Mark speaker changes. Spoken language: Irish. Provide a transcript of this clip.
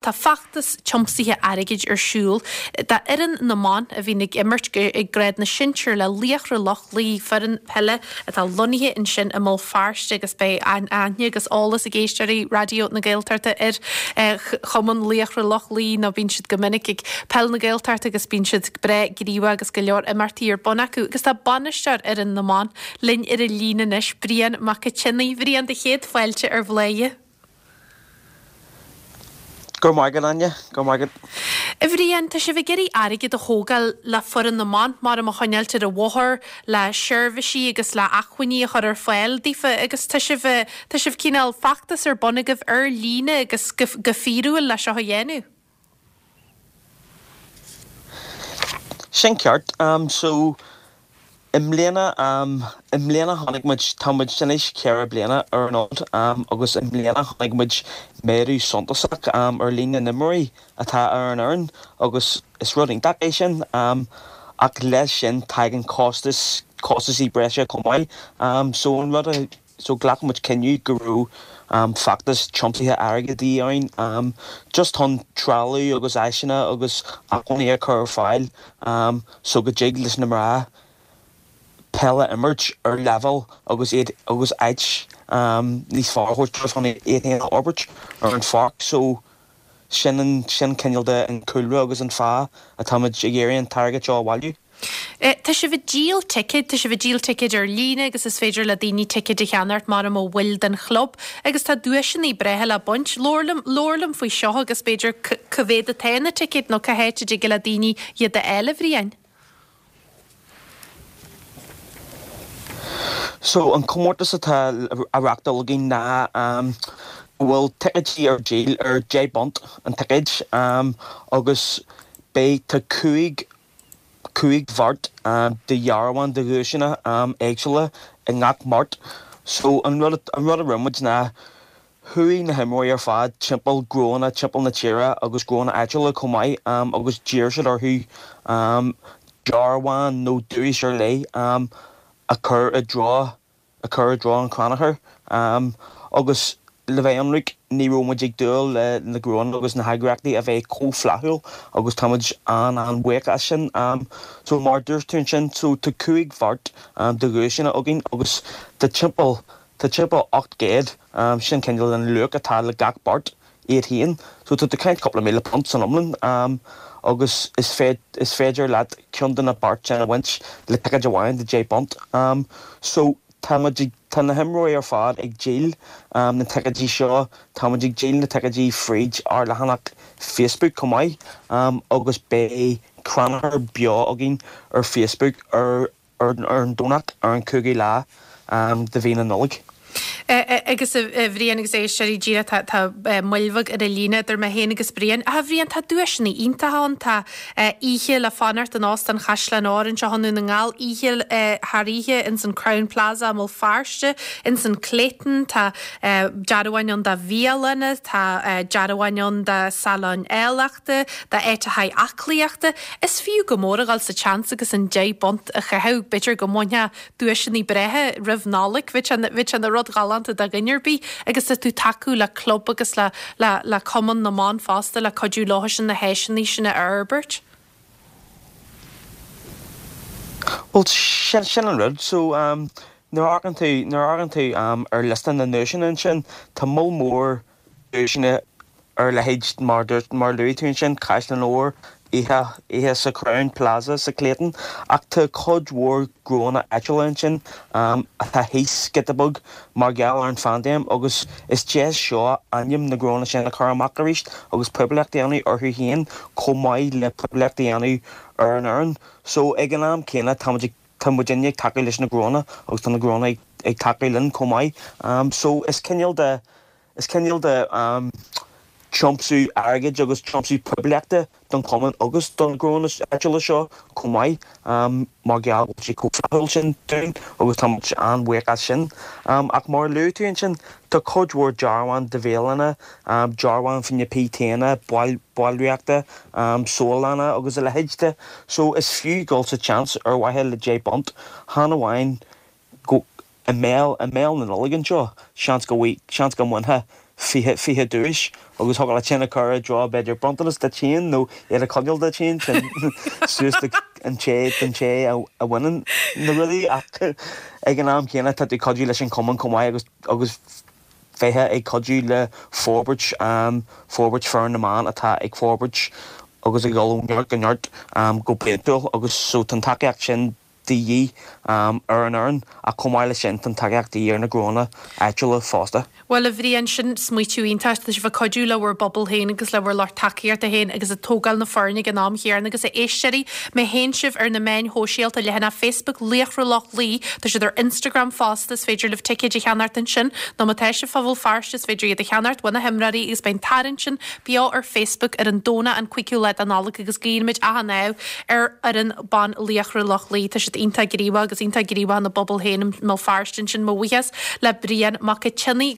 Speaker 1: Tá feachtas tiomsaithe airgid ar siúl d'fhoireann na mban a bhíonn ag imirt ag grád na sinsear le Laochra Loch Lao, foireann peile atá lonnaithe ansin i mBéal Feirste agus beidh aithne agus eolas ag éisteoirí Raidió na Gaeltachta ar chumann Laochra Loch Lao nó bíonn siad go minic ag Peil na Gaeltachta agus bíonn siad breá gníomhach agus go leor imeachtaí ar bun acu. Agus tá bainisteoir fhoireann na mban linn ar an líne anois, Brian Mac a' tSionnaigh. Bhriain, do chéad fáilte ar Bhladhaire.
Speaker 2: Go raibh maith agat, Áine. Go raibh maith agat.
Speaker 1: A Bhriain, tá sibh ag iarraidh airgead a thógáil le foireann na mban, mar a choinneáilt ar an bhóthar, le seirbhísí agus le acmhainní a chur ar fáil daofa agus tá sibh, tá sibh cineál feachtas ar bun agaibh ar líne agus go, go fíorúil le seo a dhéanamh.
Speaker 2: Sin ceart. So, i mbliana, i mbliana chonaic muid, tá muid anois 4 bliana ar an fhód agus i mbliana chonaic muid méadú suntasach ar líon na n-imreoirí atá ar an fhoireann agus is rud iontach é sin ach leis sin tagann costas, costaisí breise chomh maith. So an rud a. So ghlac muid cinneadh go raibh feachtas tiomsaithe airgid de dhíth ann just chun trealamh agus áiseanna agus acmhainní a chur ar fáil so go dtig leis na mná peil a imirt ar leibhéal agus iad agus áit níos fearr a thabhairt dóibh chun iad féin a fhorbairt ar an pháirc. So sin an sin cineál de an cúlra agus an fáth atáimid ag iarraidh an t-airgead seo a bhailiú.
Speaker 1: Tá sibh ag díol ticéad, tá sibh ag díol ticéid ar líne agus is féidir le daoine ticéid a cheannacht mar mar bhaill den chlub agus tá duaiseanna breátha le baint. Labhair liom, labhair liom faoi seo agus b'fhéidir cá mhéad atá na ticéid nó cá háit a dtig le daoine iad a fháil, a Bhriain?
Speaker 2: So, an comórtas atá á reachtáil againn ná go bhfuil ticéidí ar díol ar £10 an ticéad agus beidh, tá 5, 5 bheart de dhearbháin de dhuaiseanna éagsúla i ngach mbeart. So, an rud, an rud a rinne muid ná Chuaigh na himreoirí ar fad timpeall gnóanna timpeall na tíre agus gnóanna áitiúla chomh maith agus d'iarr siad orthu dearbhán nó duais ar leith a chur i dtreo a chur i dtreo an chrannchuir. Agus le bheith ionraic, ní raibh muid ag dúil le na gnóanna agus na heagraíochtaí a bheith chomh flaithiúil agus tá muid an-an-bhuíoch as sin. So mar a dúirt tú ansin, so tá 5 bheart de dhuaiseanna againn agus tá timpeall Tá timpeall 800, sin cineál an luach atá le gach beart iad féin. So tá tú ag caint cúpla £1,000 san iomlán agus is is féidir leat ceann de na beart sin a bhaint le ticéad amháin de £10. So tá muid ag, tá na himreoirí ar fad ag díol na ticéidí seo, tá muid ag díol na ticéidí fríd ár leathanach Facebook chomh maith agus beidh crannchur beo againn ar Facebook ar ar an Domhnach ar an 5ú lá de mhí na Nollag.
Speaker 1: Agus a Bhriain agus éisteoirí díreach tá tá moill bheag ar an líne idir mé féin agus Brian. Ach a Bhriain tá duaiseanna iontacha ann, tá oíche le fanacht in Óstán Chaisleán Óir anseo i nDún na nGall, oíche thar oíche ins an Crowne Plaza i mBéal Feirste, ins an Clayton, tá dearbháin ann do bhialanna, tá dearbháin ann do salóin áilleachta, d'áiteacha aclaíochta. Is fiú go mór a dhul sa tseans agus an £10 a chaitheamh. B'fhéidir go mbainfeá duaiseanna breátha roimh Nollaig. Bheadh sé bheadh sé ina rud galánta do dhuine ar bith agus tá tú ag tacú le club agus le le le Cumann na mBan fosta le cuidiú leo sin na háiseanna sin a fhorbairt.
Speaker 2: Bhuel, sin sin an rud. So, nuair a amharcann tú nuair a amharcann tú ar liosta na nduaiseanna ansin, tá moll mór duaiseanna ar leithéid mar dúirt, mar luaigh tú ansin, Caisleán Óir, oíche, oíche sa Crowne Plaza sa Clayton, ach tá cuid mhór gnóanna áitiúla ansin atá thíos giota beag mar gheall ar an phaindéim agus is deis seo ainm na ngnóanna sin a chur amach arís agus poiblíocht a dhéanamh orthu féin chomh maith le poiblíocht a dhéanamh ar an fhoireann. So ag an am céanna tá muid ag, tá muidinne ag tacú leis na gnóanna agus tá na gnóanna ag tacú linn chomh maith. So is cineál de Is cineál de tiomsú airgid agus tiomsú poiblíochta don chumann agus do na gnóanna áitiúla seo chomh maith mar gheall go bhfuil siad chomh flaithiúil sin dúinn agus tá muid an-bhuíoch as sin. Ach mar a luaigh tú ansin, tá cuid mhór dearbháin de bhialanna, dearbháin fá choinne PTanna, ballraíochta, salanna agus a leithéid de. So is fiú dul sa tseans ar mhaithe le £10, chan amháin go i mbéal, i mbéal na Nollag anseo, seans go, seans go mbainfeá. 20, 20 duais agus thiocfadh leat sin a chur i dtreo b'fhéidir bronntanas duit féin nó iad a choinneáil duit féin, sin suas do an té, don té a bhaineann na rudaí ach ag an am céanna tá tú ag cuidiú leis an chumann chomh maith agus, agus bheith ag cuidiú le forbairt, forbairt foireann na mban atá ag forbairt agus ag dul ó neart go neart go bliantúil agus so tá an tacaíocht sin de dhíth ar an fhoireann ach chomh maith leis sin tá an tacaíocht de dhíth ar na gnóanna áitiúla fosta.
Speaker 1: Bhuel, a Bhriain, sin smaoitiú iontach. Tá sibh ag cuidiú le bhur bpobal féin agus le bhur lucht tacaíochta féin agus ag tógáil na foirne ag an am chéanna agus a éisteoirí, má théann sibh ar na meáin shóisialta, leathanach Facebook Laochra Loch Lao, tá siad ar Instagram fosta, is féidir libh ticéid a cheannacht ansin nó má tá sibh fá Bhéal Feirste is féidir iad a cheannacht ó na himreoirí agus beidh an tarraingt sin beo ar Facebook ar an Domhnach an 5ú lá de Nollaig agus guímid achan ádh ar fhoireann ban Laochra Loch Lao. Tá siad iontach gníomhach agus iontach gníomhach ina bpobal féin i mBéal Feirste ansin. Mo bhuíochas le Brian Mac a' tSionnaigh.